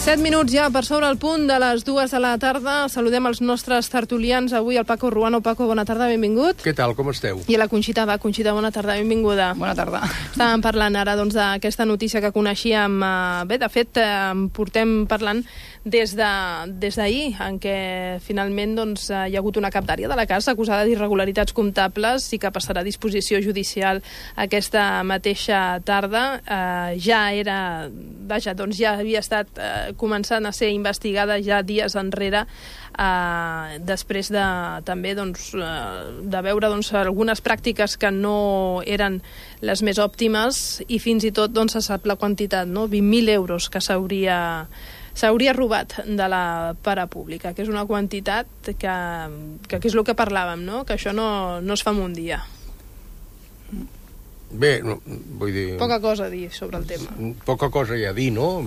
7 minuts ja per sobre el punt de les 2 de la tarda. Saludem els nostres tertulians. Avui el Paco Ruano. Paco, bona tarda, benvingut. Què tal, com esteu? I la Conxita va. Conxita, bona tarda, benvinguda. Bona tarda. Estàvem parlant ara d'aquesta notícia que coneixíem. Bé, de fet, portem parlant des d'ahir, en què finalment hi ha hagut una captària de la casa acusada d'irregularitats comptables i que passarà a disposició judicial aquesta mateixa tarda. Ja havia estat començant a ser investigada ja dies enrere, després també de veure algunes pràctiques que no eren les més òptimes, i fins i tot se sap la quantitat, 20.000 euros que s'hauria robat de la parapública, que és una quantitat que és el que parlàvem, que això no es fa en un dia. Bé, vull dir... Poca cosa a dir sobre el tema. Poca cosa hi ha a dir, no?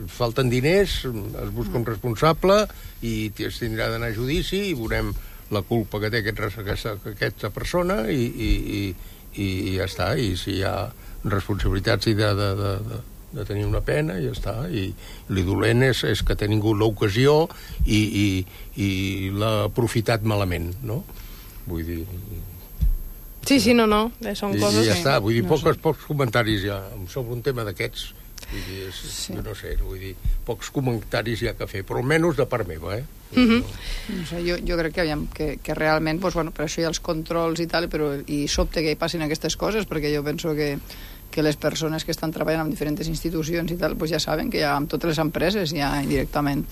Falten diners, es busca un responsable i es tindrà d'anar a judici i veurem la culpa que té aquesta persona i ja està. I si hi ha responsabilitats i de tenir una pena, ja està. I l'idolent és que ha tingut l'ocasió i l'ha aprofitat malament, no? Vull dir... Sí, no, són coses... I ja està, vull dir, pocs comentaris ja sobre un tema d'aquests, vull dir, jo no sé, vull dir, pocs comentaris hi ha que fer, però almenys de part meva, No sé, jo crec que realment, per això hi ha els controls i tal, i sobte que hi passin aquestes coses, perquè jo penso que les persones que estan treballant en diferents institucions i tal, ja saben que ja amb totes les empreses ja indirectament,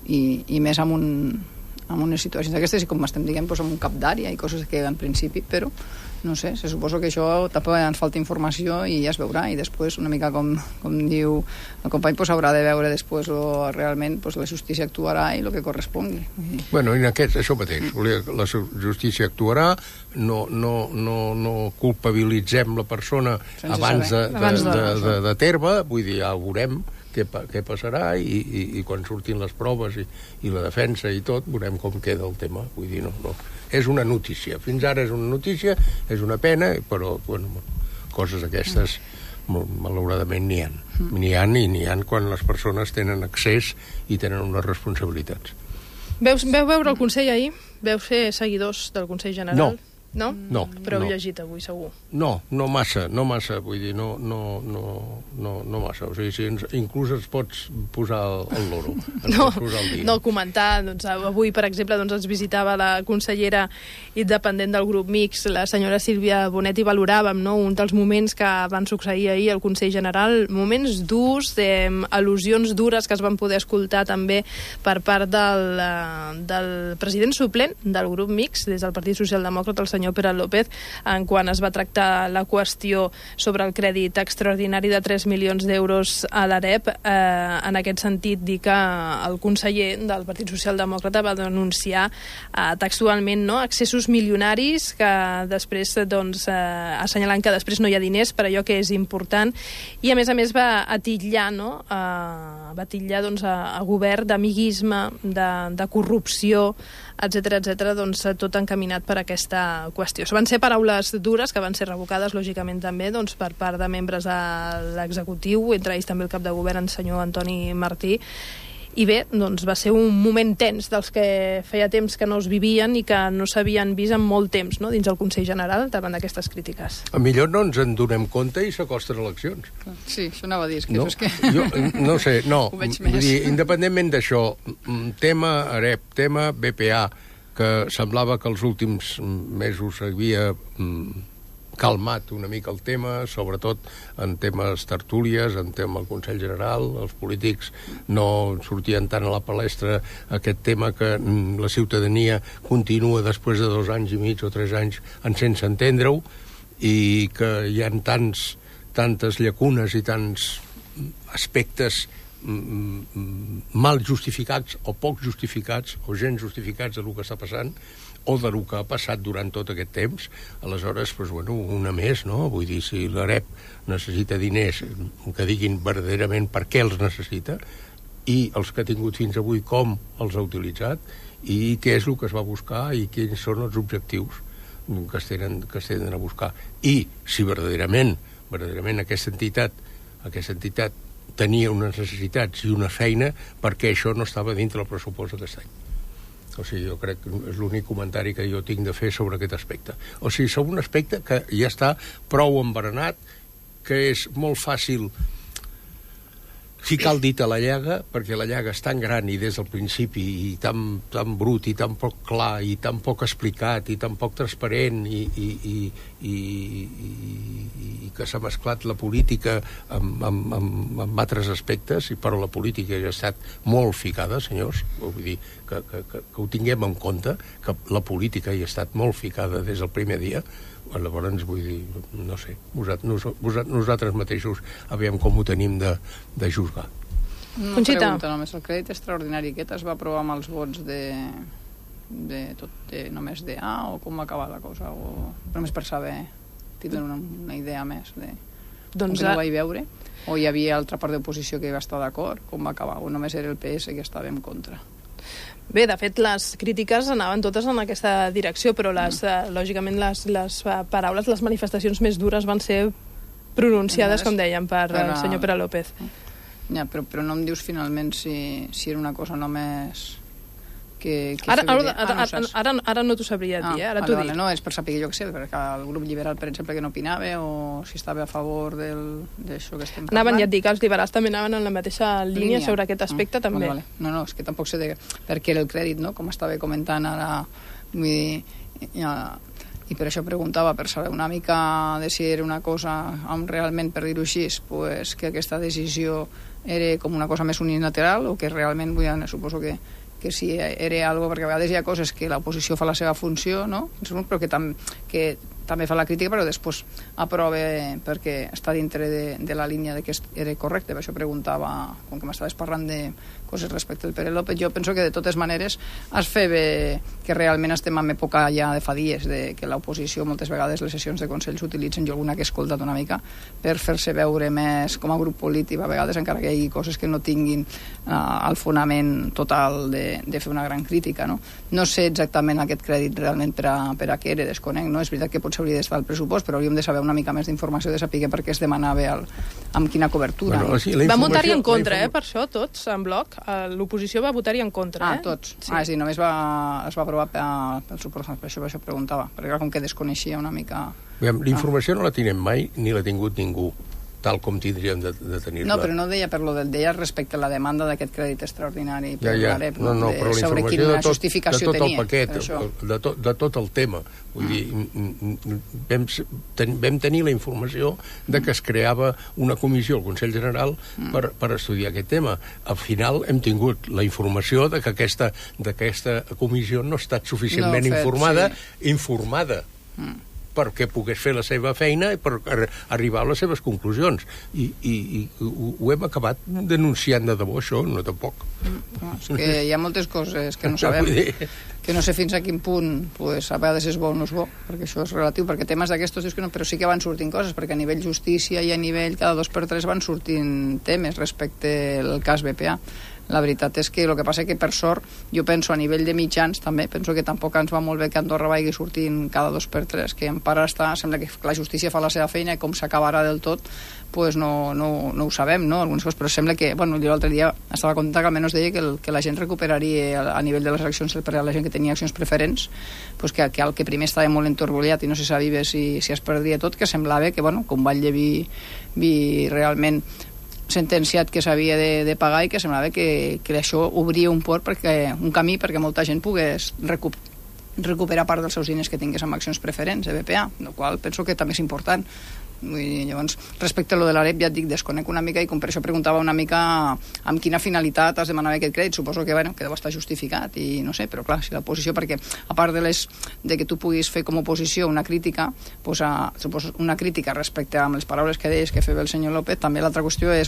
i més amb unes situacions d'aquestes, i com estem dient, amb un cap d'àrea i coses que en principi, però no sé, se suposo que això també ens falta informació i ja es veurà, i després una mica com diu el company, haurà de veure després realment la justícia actuarà i el que correspongui. Bueno, en això mateix, la justícia actuarà, no culpabilitzem la persona abans de terme, vull dir, ja ho veurem què passarà, i quan surtin les proves i la defensa i tot, veurem com queda el tema. Vull dir, no. És una notícia. Fins ara és una notícia, és una pena, però, coses aquestes, malauradament, n'hi ha. N'hi ha quan les persones tenen accés i tenen unes responsabilitats. Veu veure el Consell ahir? Veu ser seguidors del Consell General? No? No. Però heu llegit avui, segur. No massa, vull dir, no massa. O sigui, inclús es pots posar el loro. No, comentar, avui, per exemple, ens visitava la consellera independent del grup Mix, la senyora Sílvia Bonet, i valoràvem un dels moments que van succeir ahir al Consell General, moments durs, al·lusions dures que es van poder escoltar també per part del president suplent del grup Mix, des del Partit Socialdemòcrata, el senyor Pere López, en quan es va tractar la qüestió sobre el crèdit extraordinari de 3 milions d'euros a l'AREP. En aquest sentit, dir que el conseller del Partit Socialdemòcrata va denunciar textualment excessos milionaris, que després, assenyalant que després no hi ha diners per allò que és important, i a més va atillar a govern d'amiguisme, de corrupció, etcètera, tot encaminat per aquesta qüestió. Van ser paraules dures que van ser revocades, lògicament, també per part de membres de l'executiu, entre ells també el cap de govern, el senyor Antoni Martí. I bé, va ser un moment tens dels que feia temps que no es vivien i que no s'havien vist en molt temps, dins el Consell General, davant d'aquestes crítiques. Millor no ens en donem compte i s'acosten eleccions. Sí, això anava a dir, Jo no sé, ho veig més. Independentment d'això, tema AREP, tema BPA, que semblava que els últims mesos havia calmat una mica el tema, sobretot en temes tertúlies, en tema del Consell General, els polítics no sortien tant a la palestra aquest tema que la ciutadania continua després de 2 anys i mig o 3 anys sense entendre-ho, i que hi ha tantes llacunes i tants aspectes mal justificats o poc justificats o gens justificats del que està passant o del que ha passat durant tot aquest temps. Aleshores, una més, no? Vull dir, si l'AREP necessita diners, que diguin verdaderament per què els necessita, i els que ha tingut fins avui com els ha utilitzat, i què és el que es va buscar i quins són els objectius que es tenen a buscar. I si verdaderament aquesta entitat tenia unes necessitats i una feina perquè això no estava dintre el pressupost d'aquest any. O sigui, jo crec que és l'únic comentari que jo tinc de fer sobre aquest aspecte. O sigui, sobre un aspecte que ja està prou embaranat, que és molt fàcil ficar el dit a la llaga, perquè la llaga és tan gran i des del principi i tan brut i tan poc clar i tan poc explicat i tan poc transparent i que s'ha mesclat la política amb altres aspectes, però la política ja ha estat molt ficada, senyors, vull dir que ho tinguem en compte, que la política hi ha estat molt ficada des del primer dia. Llavors, vull dir, no sé, nosaltres mateixos aviam com ho tenim de juzgar. Una pregunta només. El crèdit extraordinari aquest es va aprovar amb els vots només de A, o com va acabar la cosa? O només per saber, tindre una idea més de com que no vaig veure? O hi havia altra part d'oposició que hi va estar d'acord? Com va acabar? O només era el PS que estava en contra? Bé, de fet, les crítiques anaven totes en aquesta direcció, però lògicament les paraules, les manifestacions més dures van ser pronunciades, com dèiem, per el senyor Pere López. Ja, però no em dius finalment si era una cosa només que ara no t'ho sabria dir, ara t'ho dic. No, és per saber, jo què sé, perquè el grup liberal, per exemple, que no opinava, o si estava a favor d'això que estem parlant. Anaven, ja et dic, els liberals també anaven en la mateixa línia sobre aquest aspecte, també. Vale. No, és que tampoc sé per què era el crèdit, no? Com estava comentant ara, vull dir, i per això preguntava, per saber una mica de si era una cosa, realment, per dir-ho així, pues, que aquesta decisió era com una cosa més unilateral, o que realment, suposo que si era algo, perquè a vegades hi ha coses que l'oposició fa la seva funció, no? Però que també fa la crítica, però després aprova perquè està dintre de la línia de que era correcte. Per això preguntava, com que m'estaves parlant de coses respecte al Pere López, jo penso que de totes maneres es fa bé que realment estem en època ja de fa dies, de que l'oposició moltes vegades les sessions de Consell s'utilitzen, jo alguna que he escoltat una mica, per fer-se veure més com a grup polític, a vegades encara que hi hagi coses que no tinguin el fonament total de fer una gran crítica, no? No sé exactament aquest crèdit realment per a què era, desconec, no? És veritat que potser hauria d'estar al pressupost, però hauríem de saber una mica més d'informació, de saber per què es demanava amb quina cobertura. Bueno, sí, va votar-hi en contra, per això, tots, en bloc. L'oposició va votar-hi en contra, tots. Sí. És a dir, només es va aprovar pel suport, per això preguntava, perquè com que desconeixia una mica... L'informació no la tenim mai, ni l'ha tingut ningú, tal com tindríem de tenir-la. No, però no deia per lo del deia respecte a la demanda d'aquest crèdit extraordinari per l'AREP, no, però sobre quina justificació tenia. De tot el paquet, de tot el tema. Vull dir, vam tenir la informació de que es creava una comissió al Consell General per estudiar aquest tema. Al final hem tingut la informació de que aquesta comissió no ha estat suficientment informada perquè pogués fer la seva feina i per arribar a les seves conclusions. I ho hem acabat denunciant de debò, això, no tampoc. És que hi ha moltes coses que no sabem, que no sé fins a quin punt pues, a vegades és bo o no és bo, perquè això és relatiu, perquè temes d'aquestos dius que no, però sí que van sortint coses, perquè a nivell justícia i a nivell cada 2x3 van sortint temes respecte al cas BPA. La veritat és que el que passa és que, per sort, jo penso a nivell de mitjans també, penso que tampoc ens va molt bé que Andorra vagi sortint cada 2x3, que en part sembla que la justícia fa la seva feina i com s'acabarà del tot pues no ho sabem, no? Algunes coses, però sembla que, jo l'altre dia estava content que almenys deia que la gent recuperaria a nivell de les accions, la gent que tenia accions preferents, pues que el que primer estava molt entorbollat i no se sabia si es perdria tot, que semblava que, com Valldevi realment sentenciat que s'havia de pagar i que semblava que això obria un camí perquè molta gent pogués recuperar part dels seus diners que tingués amb accions preferents de BPA, el qual penso que també és important. Llavors, respecte a lo de l'AREP, ja et dic, desconec una mica i com per això preguntava una mica amb quina finalitat es demanava aquest crèdit. Suposo que deu estar justificat i no sé, però clar, si l'oposició, perquè a part de que tu puguis fer com a oposició una crítica, suposo una crítica respecte a les paraules que deies que feia el senyor López, també l'altra qüestió és,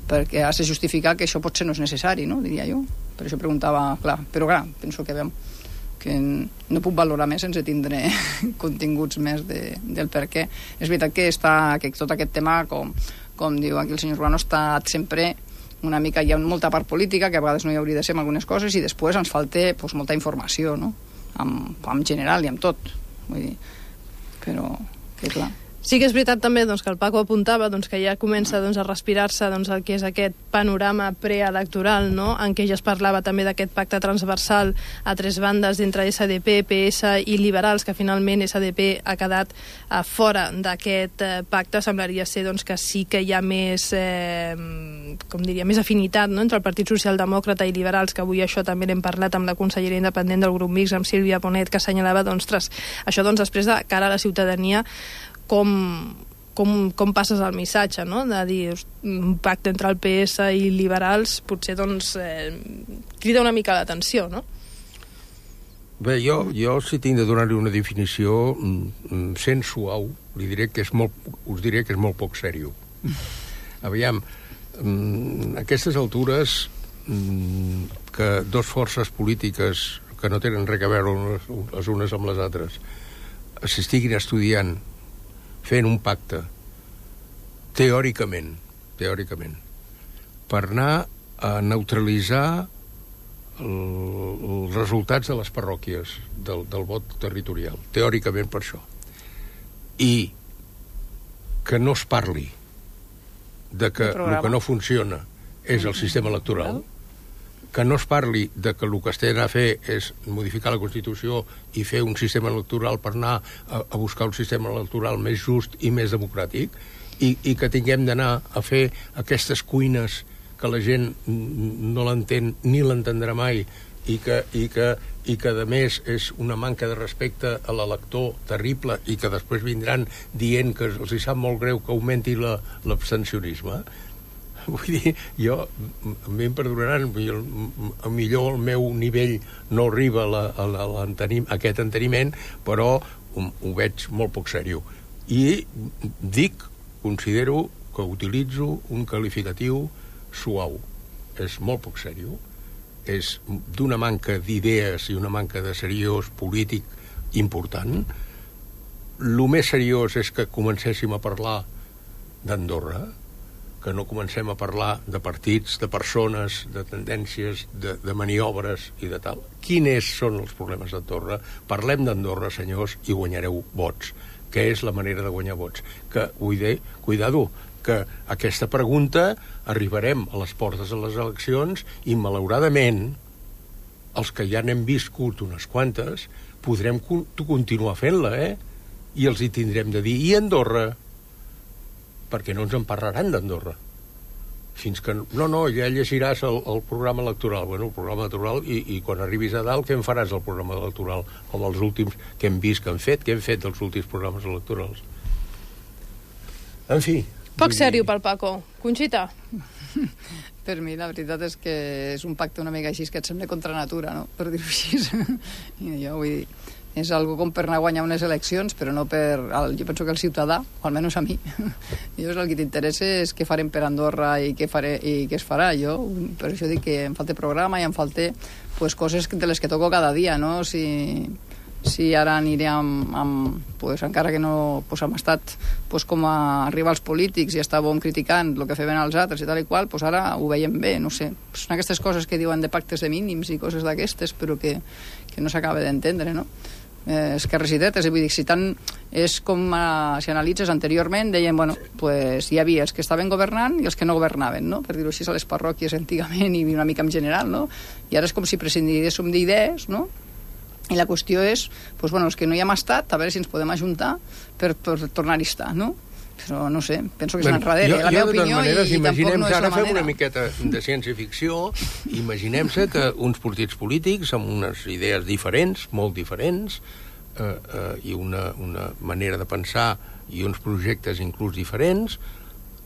perquè has de justificar que això potser no és necessari, no? Diria jo. Per això preguntava, però penso que no puc valorar més sense tindre continguts més del per què. És veritat que tot aquest tema, com diu aquí el senyor Urbano, està sempre una mica, hi ha molta part política, que a vegades no hi hauria de ser en algunes coses, i després ens falta molta informació, no? En general i amb tot. Vull dir, però que clar... Sí que és veritat també que el Paco apuntava que ja comença a respirar-se el que és aquest panorama preelectoral, no? En què ja es parlava també d'aquest pacte transversal a tres bandes entre SDP, PS i liberals, que finalment SDP ha quedat fora d'aquest pacte. Semblaria ser que sí que hi ha més, més afinitat, no? Entre el Partit Socialdemòcrata i liberals, que avui això també n'hem parlat amb la consellera independent del grup mixt, amb Sílvia Bonet, que assenyalava, això després de cara a la ciutadania, com passes el missatge, no? De dir, un pacte entre el PS i liberals potser crida una mica l'atenció, no? Bé, jo si tinc de donar-li una definició sent suau, us diré que és molt poc seriós. Aviam, a aquestes altures que dos forces polítiques que no tenen res a veure les unes amb les altres s'estiguin estudiant fent un pacte teòricament per anar a neutralitzar els resultats de les parròquies del vot territorial, teòricament per això, i que no es parli de que el que no funciona és el sistema electoral, que no es parli de que el que es té d'anar a fer és modificar la Constitució i fer un sistema electoral per anar a buscar un sistema electoral més just i més democràtic, i que tinguem d'anar a fer aquestes cuines que la gent no l'entén ni l'entendrà mai i que a més és una manca de respecte a l'elector terrible i que després vindran dient que els hi sap molt greu que augmenti l'abstencionisme. Vull dir, a mi em perdonaran, millor el meu nivell no arriba a aquest enteniment, però ho veig molt poc seriós. I considero que utilitzo un qualificatiu suau. És molt poc seriós, és d'una manca d'idees i una manca de seriós polític important. El més seriós és que comencéssim a parlar d'Andorra, que no comencem a parlar de partits, de persones, de tendències, de maniobres i de tal. Quins són els problemes d'Andorra? Parlem d'Andorra, senyors, i guanyareu vots, que és la manera de guanyar vots. Que, cuidado, que aquesta pregunta arribarem a les portes de les eleccions i, malauradament, els que ja n'hem viscut unes quantes, podrem continuar fent-la, I els hi tindrem de dir, i Andorra? Perquè no ens en parlaran d'Andorra. Fins que... No, ja llegiràs el programa electoral. Bueno, el programa electoral, i quan arribis a dalt, què en faràs del programa electoral? Com els últims que hem vist que han fet? Què hem fet dels últims programes electorals? En fi... Poc seriós pel Paco. Conxita? Per mi la veritat és que és un pacte una mica així que et sembla contra natura, no? Per dir-ho així. Jo vull dir... És algo com per anar a guanyar unes eleccions, però no per... Jo penso que el ciutadà, o almenys a mi, el que t'interessa és què farem per Andorra i què es farà. Jo per això dic que em falta programa i em falta coses de les que toco cada dia, no? Si ara aniré encara que no hem estat com a arribar als polítics i estàvem criticant el que feien els altres i tal i qual, ara ho veiem bé, no sé. Són aquestes coses que diuen de pactes de mínims i coses d'aquestes, però que no s'acaba d'entendre, no? Esquerres i dretes, vull dir, si tant és com si analitzes anteriorment, deien, hi havia els que estaven governant i els que no governaven, no? Per dir-ho així, a les parròquies antigament i una mica en general, no? I ara és com si prescindíssim d'idees, no? I la qüestió és, els que no hi hem estat, a veure si ens podem ajuntar per tornar-hi a estar, no? Però no sé, penso que és enrere la meva opinió i tampoc no és la manera. Ara fem una miqueta de ciència-ficció, imaginem-se que uns partits polítics amb unes idees diferents, molt diferents, i una manera de pensar i uns projectes inclús diferents,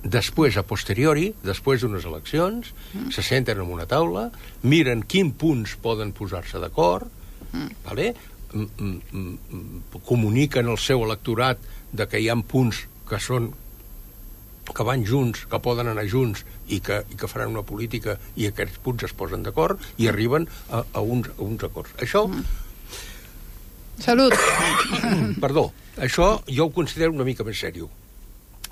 després, a posteriori, després d'unes eleccions, se senten en una taula, miren quins punts poden posar-se d'acord, comuniquen al seu electorat que hi ha punts que van junts, que poden anar junts i que faran una política i aquests punts es posen d'acord i arriben a uns acords. Això... Salut! Perdó, això jo ho considero una mica més seriós.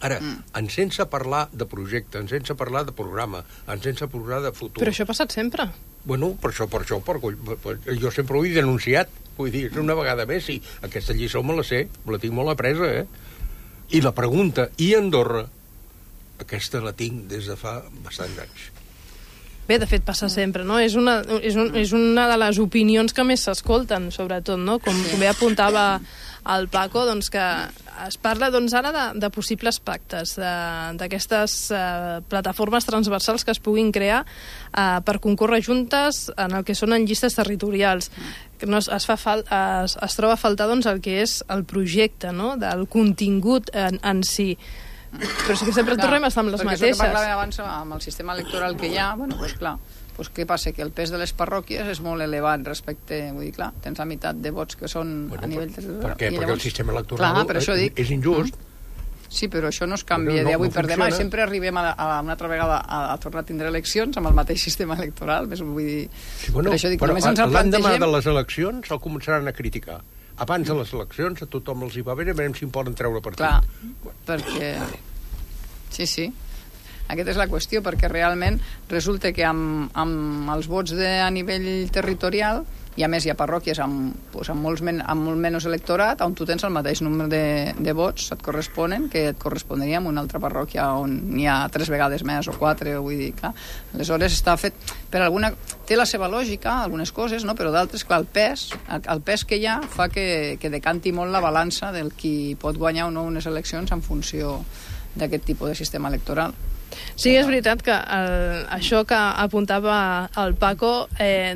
Ara, sense parlar de projecte, sense parlar de programa, sense parlar de futur... Però això ha passat sempre. Bueno, per això, jo sempre ho he denunciat, vull dir, una vegada més, i aquesta lliçó me la sé, me la tinc molt apresa, I la pregunta, i Andorra? Aquesta la tinc des de fa bastants anys. Bé, de fet, passa sempre, no? És una de les opinions que més s'escolten, sobretot, no? Com bé apuntava el Paco, doncs que es parla ara de possibles pactes, d'aquestes plataformes transversals que es puguin crear per concórrer juntes en el que són en llistes territorials. Es troba a faltar doncs, el que és el projecte, no? Del contingut en si. Però sí que sempre tornem a estar amb les mateixes. Perquè això que parlàvem abans amb el sistema electoral que hi ha, bueno, doncs clar, doncs què passa? Que el pes de les parròquies és molt elevat respecte, vull dir, clar, tens la meitat de vots que són a nivell territorial. Per què? Perquè el sistema electoral és injust. Sí, però això no es canvia d'avui per demà. Sempre arribem una altra vegada a tornar a tindre eleccions amb el mateix sistema electoral. Vull dir, per això dic, només ens el plantegem... L'endemà de les eleccions el començaran a criticar. Abans de les eleccions a tothom els hi va bé, veurem si en poden treure partit. Clar, perquè... Sí. Aquesta és la qüestió, perquè realment resulta que amb els vots a nivell territorial, i a més hi ha parròquies amb molt menys electorat, on tu tens el mateix nombre de vots et corresponen que et correspondria a una altra parròquia on n'hi ha 3 vegades més o 4, vull dir, clar. Aleshores està fet per alguna... Té la seva lògica, algunes coses, no? Però d'altres, clar, el pes que hi ha fa que decanti molt la balança del qui pot guanyar o no unes eleccions en funció d'aquest tipus de sistema electoral. Sí, és veritat que això que apuntava el Paco,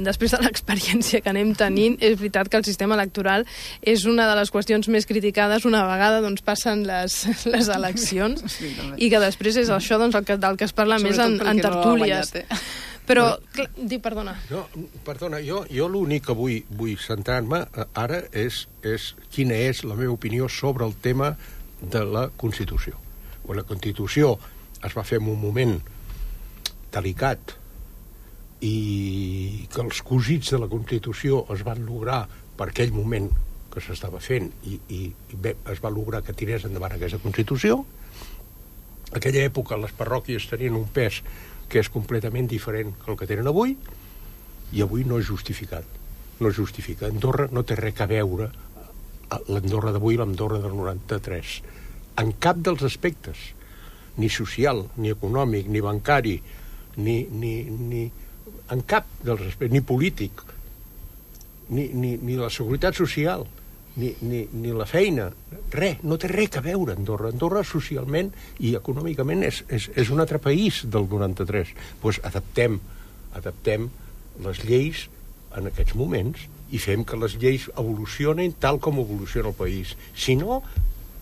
després de l'experiència que anem tenint, és veritat que el sistema electoral és una de les qüestions més criticades una vegada doncs, passen les eleccions, sí, i que després és això doncs, del que es parla més en tertúlies. Però, perdona. No, perdona, jo l'únic que vull centrar-me ara és quina és la meva opinió sobre el tema de la Constitució. La Constitució es va fer en un moment delicat i que els cosits de la Constitució es van lograr per aquell moment que s'estava fent i bé, es va lograr que tirés endavant aquesta Constitució. En aquella època les parròquies tenien un pes que és completament diferent que el que tenen avui, i avui no és justificat. No és justificat. Andorra no té res a veure, l'Andorra d'avui i l'Andorra del 93, en cap dels aspectes, ni social, ni econòmic, ni bancari, ni en cap dels aspectes, ni polític, ni la seguretat social, ni la feina, res, no té res a veure Andorra. Andorra socialment i econòmicament és un altre país del 93. Doncs adaptem les lleis en aquests moments i fem que les lleis evolucionin tal com evoluciona el país. Si no,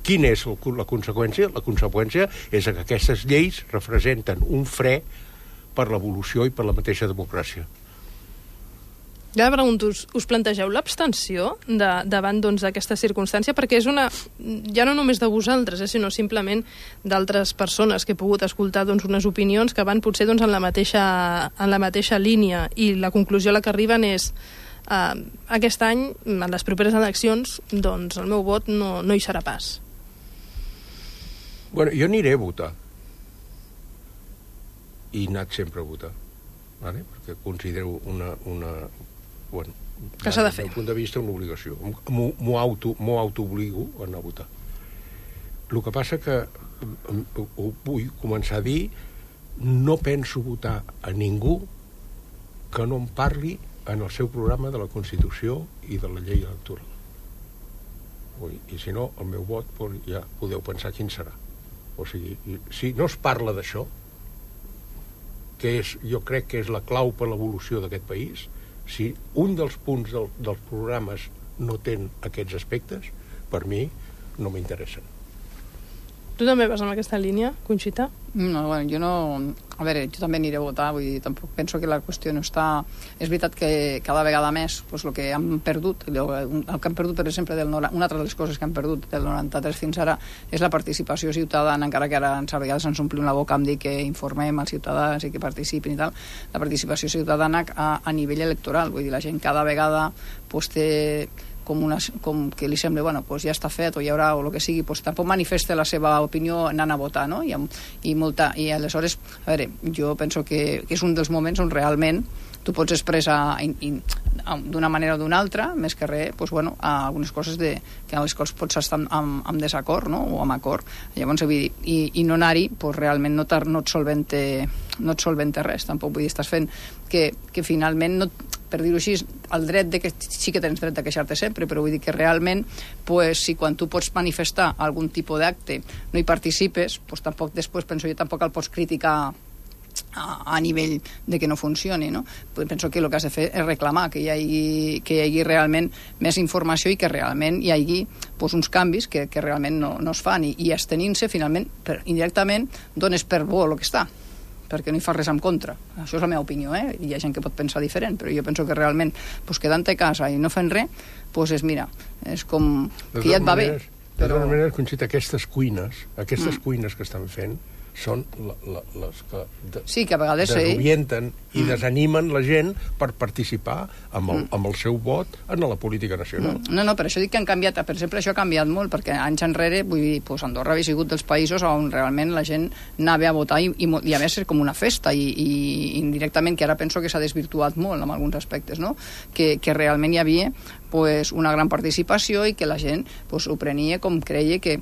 quina és la conseqüència? La conseqüència és que aquestes lleis representen un fre per l'evolució i per la mateixa democràcia. Ja pregunto, us plantegeu l'abstenció davant d'aquesta circumstància? Perquè és ja no només de vosaltres, sinó simplement d'altres persones que he pogut escoltar unes opinions que van potser en la mateixa línia, i la conclusió a la que arriben és aquest any, en les properes eleccions, doncs el meu vot no hi serà pas. Bueno, jo aniré a votar. I he anat sempre a votar. ¿Vale? Perquè considero bueno, que s'ha de fer. Des del punt de vista, una obligació. M'ho autoobligo a anar a votar. El que passa que ho vull començar a dir, no penso votar a ningú que no em parli en el seu programa de la Constitució i de la llei electoral. I si no, el meu vot ja podeu pensar quin serà. O sigui, si no es parla d'això, que jo crec que és la clau per l'evolució d'aquest país, si un dels punts dels programes no té aquests aspectes, per mi no m'interessen. Tu també vas amb aquesta línia, Conxita? No, bueno, jo no... A veure, jo també aniré a votar, vull dir, tampoc penso que la qüestió no està... És veritat que cada vegada més, doncs el que hem perdut, el que hem perdut, per exemple, una altra de les coses que hem perdut del 93 fins ara és la participació ciutadana, encara que ara a vegades ens omplim la boca amb dir que informem als ciutadans i que participin i tal, la participació ciutadana a nivell electoral, vull dir, la gent cada vegada té com que li sembla, bueno, pues ja està fet o hi haurà o el que sigui, pues tampoc manifesta la seva opinió anant a votar, no? I aleshores, a veure, jo penso que és un dels moments on realment tu pots expressar d'una manera o d'una altra, més que res, doncs, bueno, algunes coses que a les quals pots estar en desacord, no? O amb acord. Llavors, vull dir, i no anar-hi, doncs, realment no et solventa res. Tampoc vull dir, estàs fent que finalment, per dir-ho així, el dret de que sí que tens dret de queixar-te sempre, però vull dir que realment, pues, si quan tu pots manifestar algun tipus d'acte no hi participes, pues, tampoc després, penso jo, tampoc el pots criticar a nivell de que no funcioni, no? Penso que el que has de fer és reclamar que hi hagi realment més informació i que realment hi hagi pues, uns canvis que realment no es fan i abstenint-se, finalment, indirectament, dones per bo el que està, perquè no hi fa res en contra. Això és la meva opinió, Hi ha gent que pot pensar diferent, però jo penso que realment, pues, quedant-te a casa i no fent res, pues, és com que ja et va bé. De totes maneres, Conxita, aquestes cuines que estan fent són les que sí, que a vegades desorienten i desanimen la gent per participar amb el seu vot en la política nacional. No, per això dic que han canviat. Per exemple, això ha canviat molt, perquè anys enrere, vull dir, pues, Andorra havia sigut dels països on realment la gent anava a votar i a més com una festa i indirectament, que ara penso que s'ha desvirtuat molt en alguns aspectes, no? Que realment hi havia pues, una gran participació i que la gent pues, ho prenia com creia que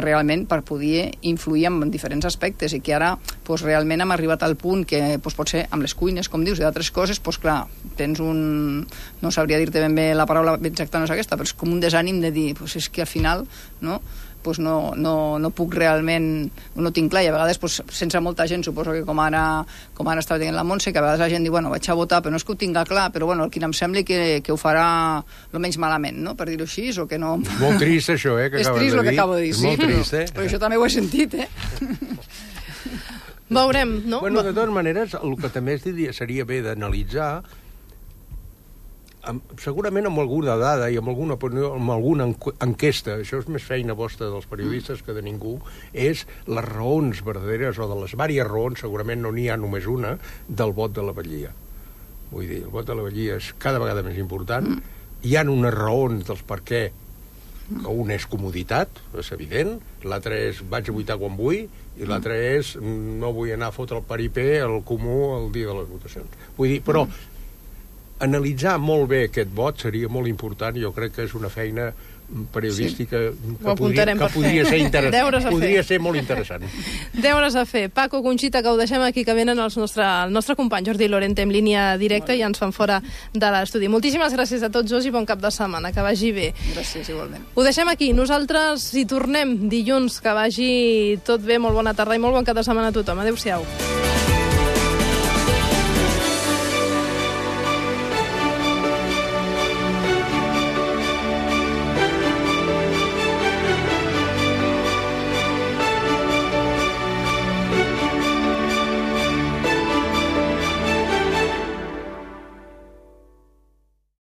realment per poder influir en diferents aspectes i que ara pues, realment hem arribat al punt que pues, potser amb les cuines, com dius, i d'altres coses, pues, clar, tens no sabria dir-te ben bé la paraula exacta no és aquesta, però és com un desànim de dir, pues, és que al final, no?, pues no puc realment, no tinc clar, i a vegades pues, sense molta gent, suposo que com ara estava dient la Montse, que a vegades la gent diu, bueno, vaig a votar, però no és que ho tinga clar, però bueno, el que em sembla que ho farà el menys malament, no?, per dir-ho així, o que no... És molt trist això, que acabes de dir. És trist el que acabo de dir, és molt trist, però això també ho he sentit, Veurem, no? Bueno, de totes maneres, el que també seria bé d'analitzar segurament amb alguna dada i amb alguna opinió, amb alguna enquesta, això és més feina vostra dels periodistes que de ningú, és les raons verdaderes o de les diverses raons, segurament no n'hi ha només una, del vot de la vetllia. Vull dir, el vot de la vetllia és cada vegada més important. Hi ha unes raons dels per què, que un és comoditat, és evident, l'altre és vaig a votar quan vull, i l'altre és no vull anar a fotre el paripé al comú el dia de les votacions. Vull dir, però analitzar molt bé aquest vot seria molt important, jo crec que és una feina periodística que podria ser interessant. Podria ser molt interessant. Deures a fer. Paco, Conxita, que ho deixem aquí, que venen el nostre company Jordi Lorente en línia directa i ens fan fora de l'estudi. Moltíssimes gràcies a tots dos i bon cap de setmana, que vagi bé. Gràcies, igualment. Ho deixem aquí. Nosaltres hi tornem dilluns, que vagi tot bé, molt bona tarda i molt bon cap de setmana a tothom. Adéu-siau.